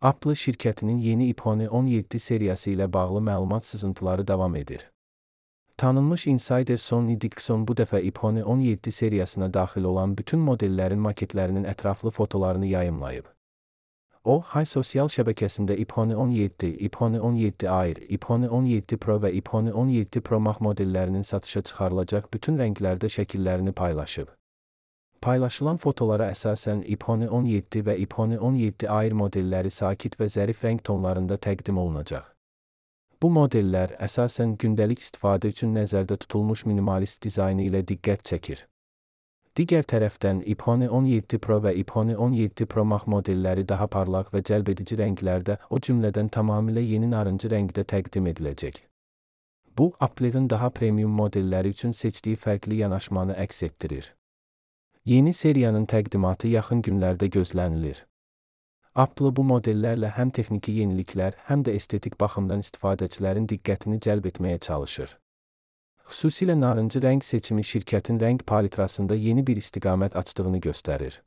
Apple şirkətinin yeni iPhone 17 seriyası ilə bağlı məlumat sızıntıları davam edir. Tanınmış insider Sonny Dixon bu dəfə iPhone 17 seriyasına daxil olan bütün modellərin maketlərinin ətraflı fotolarını yayımlayıb. O, Hay sosial şəbəkəsində iPhone 17, iPhone 17 Air, iPhone 17 Pro və iPhone 17 Pro Max modellərinin satışa çıxarılacaq bütün rənglərdə şəkillərini paylaşıb. Paylaşılan fotolara əsasən iPhone 17 və iPhone 17 Air modelləri sakit və zərif rəng tonlarında təqdim olunacaq. Bu modellər əsasən gündəlik istifadə üçün nəzərdə tutulmuş minimalist dizaynı ilə diqqət çəkir. Digər tərəfdən iPhone 17 Pro və iPhone 17 Pro Max modelləri daha parlaq və cəlbedici rənglərdə, o cümlədən tamamilə yeni narıncı rəngdə təqdim ediləcək. Bu, Apple'ın daha premium modelləri üçün seçdiyi fərqli yanaşmanı əks etdirir. Yeni seriyanın təqdimatı yaxın günlərdə gözlənilir. Apple bu modellərlə həm texniki yeniliklər, həm də estetik baxımdan istifadəçilərin diqqətini cəlb etməyə çalışır. Xüsusilə narıncı rəng seçimi şirkətin rəng palitrasında yeni bir istiqamət açdığını göstərir.